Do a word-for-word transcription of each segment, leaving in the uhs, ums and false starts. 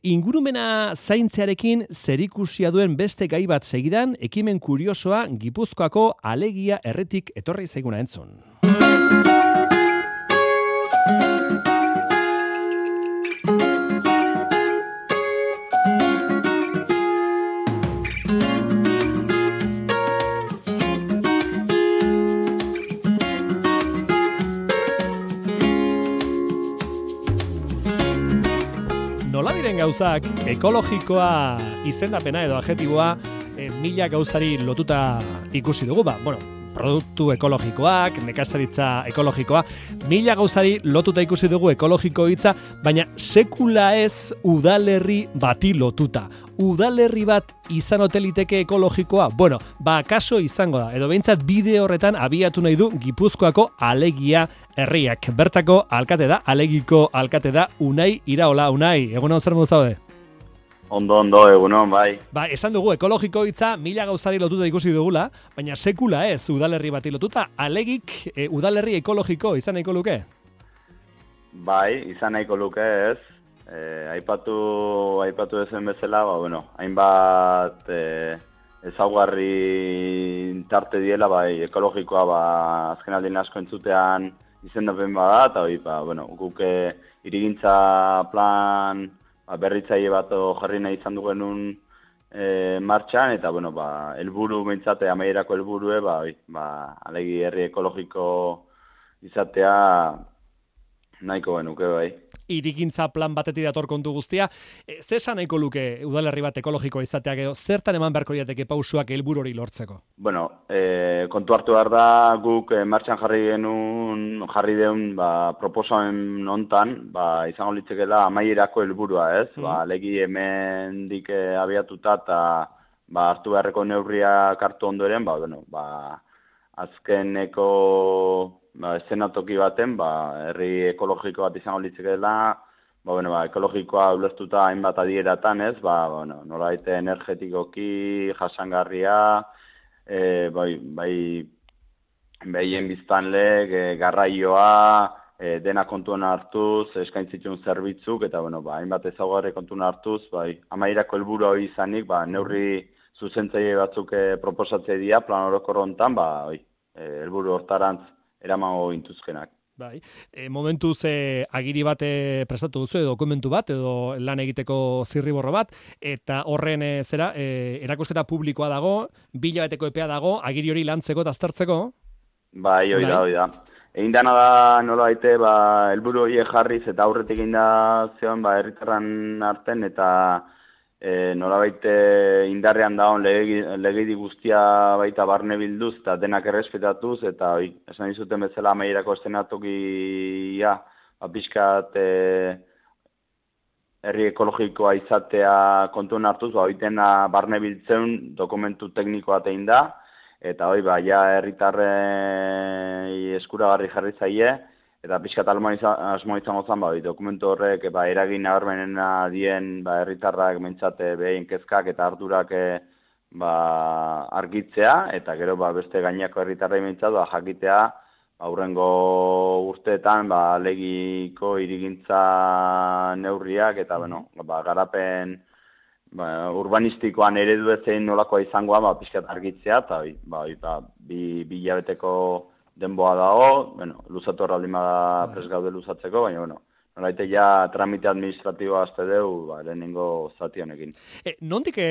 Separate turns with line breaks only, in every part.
Ingurumena zaintzearekin zerikusia duen beste gai bat segidan, ekimen kuriosoa Gipuzkoako Alegia erretik etorri zaiguna entzun. Nola diren gauzak, ekologikoa izendapena edo adjetiboa e, mila gauzari lotuta ikusi dugu, ba, bueno, produktu ekologikoak, nekazaritza ekologikoa, mila gauzari lotuta ikusi dugu ekologiko hitza, baina sekula ez udalerri bati lotuta. Udalerri bat izan ote liteke ekologikoa? Bueno, ba, kaso izango da, edo behintzat bide horretan abiatu nahi du Gipuzkoako Alegia herriak. Bertako alkate da, Alegiko alkate da, Unai Iraola. Unai, egunon zer modu zaude?
Ondo, ondo, egunon, bai.
Ba, esan dugu, ekologiko hitza mila gauzari lotuta ikusi dugula, baina sekula ez udalerri bati lotuta. Alegik e, udalerri ekologiko izan nahiko luke?
Bai, izan nahiko luke ez. E, aipatu, aipatu ezen bezala, ba, bueno, hainbat e, ezaugarri tarte diela, bai, ekologikoa, ba, azken aldien asko entzutean izendapen bada, eta hori, ba, bueno, guk hirigintza plan ba, berritzaile bat jarri nahi izan du genuen e, martxan, eta, bueno, ba, helburu behintzate, amaierako helburue, ba, ba, Alegi herri ekologiko izatea nahiko genuke, bai.
Hirigintza plan batetik dator kontu guztia. E, Zer esan nahiko luke udalerri bat ekologikoa izateak edo zertan eman beharko lirateke pausuak helburu hori lortzeko?
Bueno, e, kontu hartu behar da guk e, martxan jarri genuen, jarri deun ba, proposamen hontan, ba, izango litzekeela amaierako helburua, ez? Mm. Ba, legi hemendik e, abiatuta eta ba, hartu beharreko neurriak hartu ondoren, ba, bueno, ba, azkeneko ba, eszenatoki baten, ba, herri ekologiko bat izango litzekeela, ba, bueno, ba, ekologikoa ulertuta hainbat adieratan, ez, ba, bueno, nolabait energetikoki, jasangarria, e, bai, bai, behien biztanlek, e, garraioa, e, dena kontuan hartuz, eskaintzitun zerbitzuk, eta, bueno, ba, hainbat ezaugarri kontuan hartuz, bai, amaierako helburu hori izanik, ba, neurri zuzentzaile batzuk e, proposatzea dira, plan orokor hontan, ba, bai, e, helburu hortarantz eramango intuzkenak.
Bai. E, momentuz e, agiri bat e, prestatu duzu, edo dokumentu bat, edo lan egiteko zirriborro bat, eta horren e, zera, e, erakusketa publikoa dago, bilabeteko epea dago, agiri hori lantzeko eta aztertzeko?
Bai, hori da, hori da. Egin dana da nola baite, ba, helburu horiek jarriz, eta aurretik egin da zeon, ba, herritarran arten, eta E, nolabait indarrean dagoen legedi guztia baita barne bilduz eta denak errespetatuz, eta oi, esan dizuten bezala amaierako eszenatokia ba, pixkat e, herri ekologikoa izatea kontuen hartuz, ba, oitena barne biltzen dokumentu teknikoa tein da, eta hoi, ba, ja herritarrei eskuragarri jarri zaie, eta pixkat asmo izango zen, ba, dokumentu horrek ba, eragin nabarmenena dien ba, herritarrak mentzate behin kezkak eta ardurak ba, argitzea, eta gero ba, beste gainako herritarrei mentzat ba, jakitea aurrengo urteetan ba, Alegiko hirigintza neurriak eta bueno, ba, garapen ba, urbanistikoan eredu ezein nolakoa izangoa ba, pixkat argitzea, eta ba, ba, bi, bi hilabeteko denboa dago, bueno, luzatu horraldin bada prest gaude luzatzeko, baina, bueno, nolaite ja tramite administratiboa azte deu, ba, lehenengo zati honekin.
E, nondik e,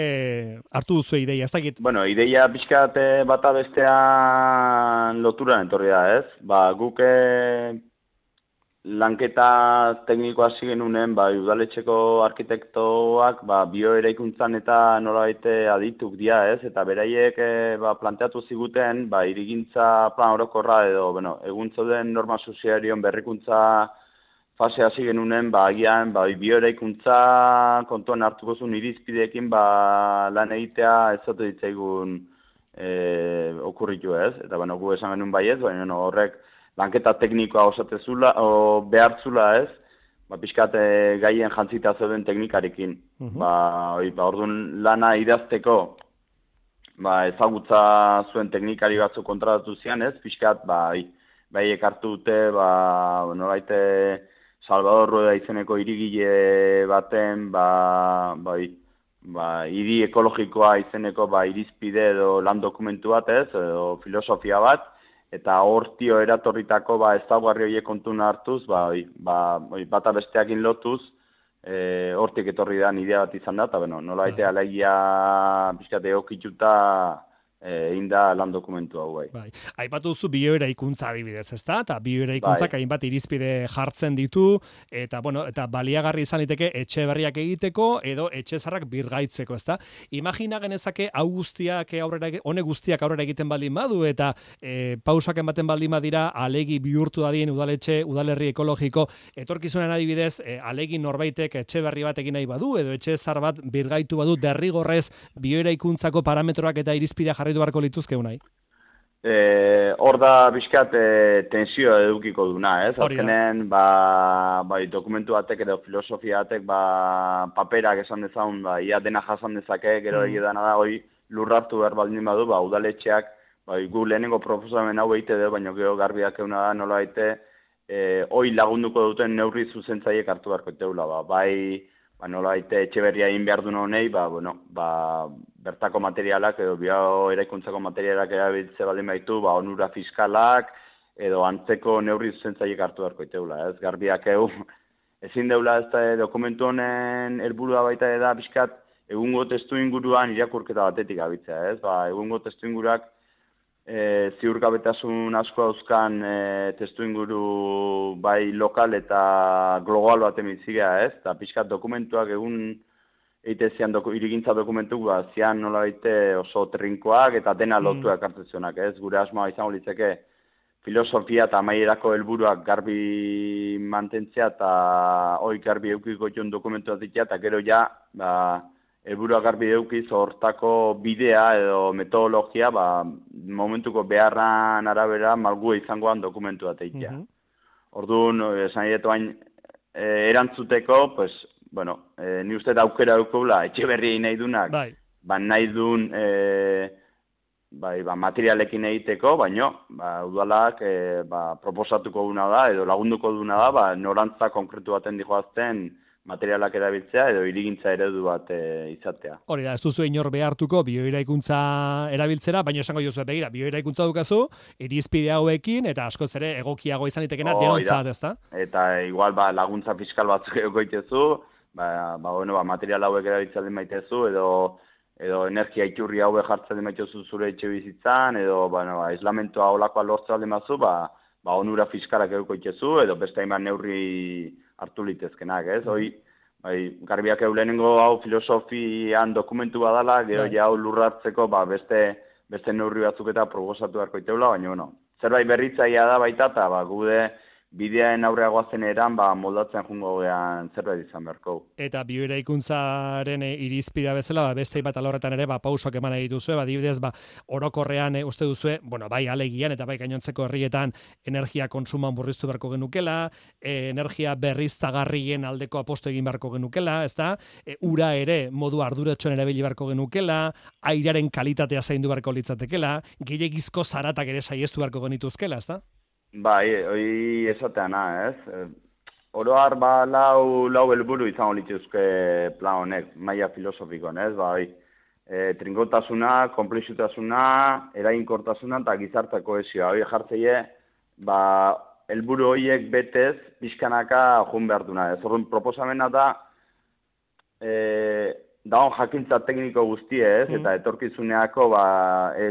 hartu duzu ideia, ez dakit?
Bueno, ideia pixkat bata bestean loturan etorri da, ez? Ba, guk lanketa teknikoa hasi genunen, ba, udaletxeko arkitektoak ba, bioeraikuntzan eta nolabait adituk dira, ez? Eta beraiek ba, planteatu ziguten, ba, hirigintza plan orokorra edo, bueno, egun zauden norma sozialion berrikuntza fase hasi genunen, ba, agian, ba, bioeraikuntza kontuan hartuko zuen irizpideekin ba, lan egitea ez zote ditzaigun e, okurritu, ez? Eta, bueno, gu esan genuen baiez, baina no, horrek lanketa teknikoa osatezula, o behartzula ez, ba, pixkat e, gaien jantzita zeuden teknikarekin. Uh-huh. Ba, oi, ba, orduan lana idazteko, ba, ezagutza zuen teknikari batzu kontratatu zian ez, pixkat, ba, oi, bai ekartu dute, ba, noraite Salvador Rueda izeneko hirigile baten, ba, bai, ba, hiri ekologikoa izeneko ba, irizpide edo lan dokumentu bat ez, edo filosofia bat, eta hortio eratorritako ba, ezaugarri horiek kontun hartuz, ba, ba, bata besteakin lotuz, e, hortik etorri da idea bat izan da, eta bueno, nola baita alegia pixkate okituta egin da lan dokumentu hau bai.
Bai. Aipatu duzu bioeraikuntza adibidez, ezta? Eta bioeraikuntzak bai. Hainbat irizpide jartzen ditu eta bueno, eta baliagarri izan liteke etxe berriak egiteko edo etxe zarrak birgaitzeko, ezta? Imagina genezake hau guztiak aurrera honek guztiak aurrera egiten baldin badu eta e, pausak ematen baldin badira alegi bihurtu dadien udaletxe, udalerri ekologiko etorkizunen adibidez, e, alegi norbaitek etxe berri bat egin nahi badu edo etxe zar bat birgaitu badu derrigorrez bioeraikuntzako parametroak eta irizpidea jarri beharko lituzke unai?
Eh, hor da bizkat eh, tensioa edukiko duna, ez? Azkenen, ba, bai, dokumentu batek edo filosofia batek, ba, paperak esan dezagun, ba, ia dena jasan dezake, gero mm. egidana da, hoi lurrartu behar baldin badu, ba, udaletxeak, bai, gu lehenengo proposamen hau egite du, baina gero garbiak euna da, nola egite, eh, hoi lagunduko duten neurri zuzentzaiek hartu beharko iteula, ba, bai, ba, nola egite etxe berria egin behar duen honei, ba, bueno, ba, bertako materialak edo bio eraikuntzako materialak erabiltze baldin baitu, ba, onura fiskalak edo antzeko neurri zuzentzaiek hartu beharko iteula, ez? Garbiak egu, ezin deula ez da dokumentu honen helburua baita da bizkat egungo testu inguruan irakurketa batetik abitzea, ez? Ba, egungo testu inguruak e, ziurgabetasun asko dauzkan e, testu inguru bai lokal eta global bat emitzigea, ez? Eta bizkat dokumentuak egun eite zian doku, irigintza dokumentuk, ba, zian nola baite oso trinkoak eta dena lotuak mm. hartzezionak, ez? Gure asmoa izango litzeke filosofia eta amaierako helburuak garbi mantentzea eta hoi garbi eukiko joan dokumentu bat zitea, eta gero ja, ba, helburuak garbi eukiz hortako bidea edo metodologia, ba, momentuko beharran arabera malgu izangoan dokumentu bat eitea. Mm-hmm. Orduan, esan edo hain e, erantzuteko, pues, bueno, eh, ni uste da aukera daukula etxe berri nahi dunak, bai. Ba nahi duen e, bai, ba, materialekin egiteko, baino, ba, udalak e, ba, proposatuko duna da, edo lagunduko duna da, ba, norantza konkretu baten dihoazten materialak erabiltzea edo irigintza eredu bat e, izatea.
Hori da, ez duzu inor behartuko bioeraikuntza erabiltzera, baina esango jozu begira, bioeraikuntza dukazu, irizpide hauekin, eta askoz ere egokiago izan itekena oh, denontzat, ezta?
Eta igual ba, laguntza fiskal batzuk egoitezu, ba, ba, bueno, ba, material hauek erabiltzen maitezu, edo edo energia iturri haue jartzen maitezu zure etxe bizitzan, edo bueno, ba, aislamentoa olakoa lortzen mazu, ba, ba, onura fiskalak egoitezu, edo beste hainbat neurri hartu litezkenak, ez? Hoi, bai, garbiak eulenengo hau filosofian dokumentu badala, gero ja hau lurrartzeko, ba, beste, beste neurri batzuk eta proposatu beharko iteula, baina, bueno, zerbait berritzaia da baita, eta ba, gude bideaen aurreagoa zen eran, ba, moldatzen jungo gean zerbait izan beharko.
Eta bioeraikuntzaren irizpidea bezala, ba, beste bat alorretan ere, ba, pausoak eman egituzue, ba, dibidez, ba, orokorrean e, uste duzue, bueno, bai alegian eta bai gainontzeko herrietan energia konsuman burriztu beharko genukela, e, energia berriztagarrien aldeko aposto egin beharko genukela, ezta? E, ura ere modu arduratsuan erabili beharko genukela, airaren kalitatea zaindu beharko litzatekela, gehiegizko zaratak ere saiestu beharko genituzkela, ezta?
Bai, hori esateana, ez? Oroar, ba, lau, lau helburu izango lituzke plan honek, maila filosofikoan, ez? Bai, e, trinkotasuna, komplexutasuna, eraginkortasuna eta gizarte kohesioa. Hori jartzeie, ba, helburu horiek betez, pixkanaka joan behar duna, ez? Horren proposamena da, e, daun jakintza tekniko guztie, ez? Mm. Eta etorkizuneako, ba,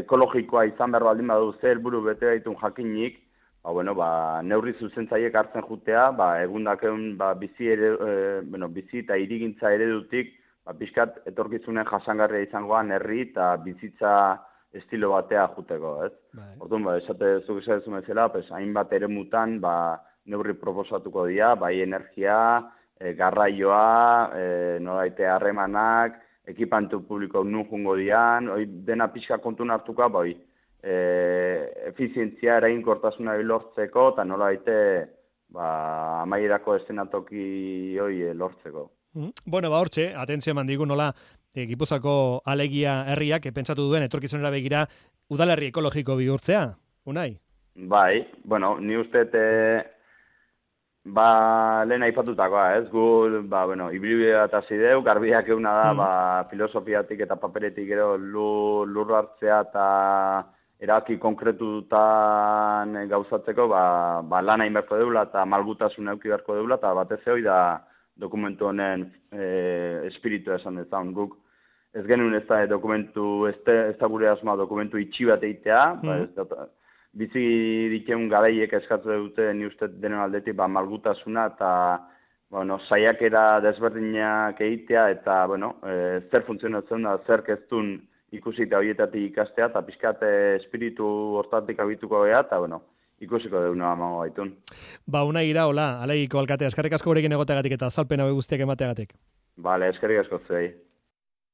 ekologikoa izan behar baldin badu ze helburu bete baitun jakinik, ba, bueno, ba, neurri zuzentzaiek hartzen jutea, ba, egundakeun ba, bizi, ere, e, bueno, bizi eta irigintza eredutik, ba, pixkat etorkizunen jasangarria izangoan herri eta bizitza estilo batea juteko, ez? Bai. Orduan, ba, esate zuk esatzen bezala, pues, hainbat eremutan, ba, neurri proposatuko dira, bai energia, e, garraioa, e, noraite harremanak, ekipantu publiko nun jungo dian, oi, dena pixka kontun hartuka, bai, E, efizientzia eraginkortasuna lortzeko eta nola baite ba, amaierako eszenatoki hoi lortzeko.
Mm. Bueno, ba hortxe, atentzio eman digu nola e, Gipuzkoako alegia herriak pentsatu duen etorkizunera begira udalerri ekologiko bihurtzea, Unai?
Bai, bueno, ni uste e, Ba, lehen aipatutakoa, ez, gu, ba, bueno, ibilbidea eta zideu, garbiak euna da, mm. ba, filosofiatik eta paperetik ero lur, lur hartzea eta eraki konkretutan gauzatzeko, ba, ba lan hain beharko deula eta malgutasun euki beharko deula, eta batez hori da dokumentu honen e, espiritu esan dezaun guk. Ez genuen ez da dokumentu, ez da gure asma dokumentu itxi bat eitea, mm. ba, ez da, bizi dikeun garaiek eskatu dute ni uste denen aldetik ba, malgutasuna eta bueno, saiakera desberdinak egitea eta bueno, e, zer funtzionatzen da, zer keztun ikusi eta horietatik ikastea eta pixkat espiritu hortatik abituko geha eta bueno, ikusiko deuna amango baitun.
Ba, Unai Iraola, Alegiko alkate, eskerrik asko gurekin egoteagatik eta azalpen hau guztiak emateagatik.
Bale, eskerrik asko zuei.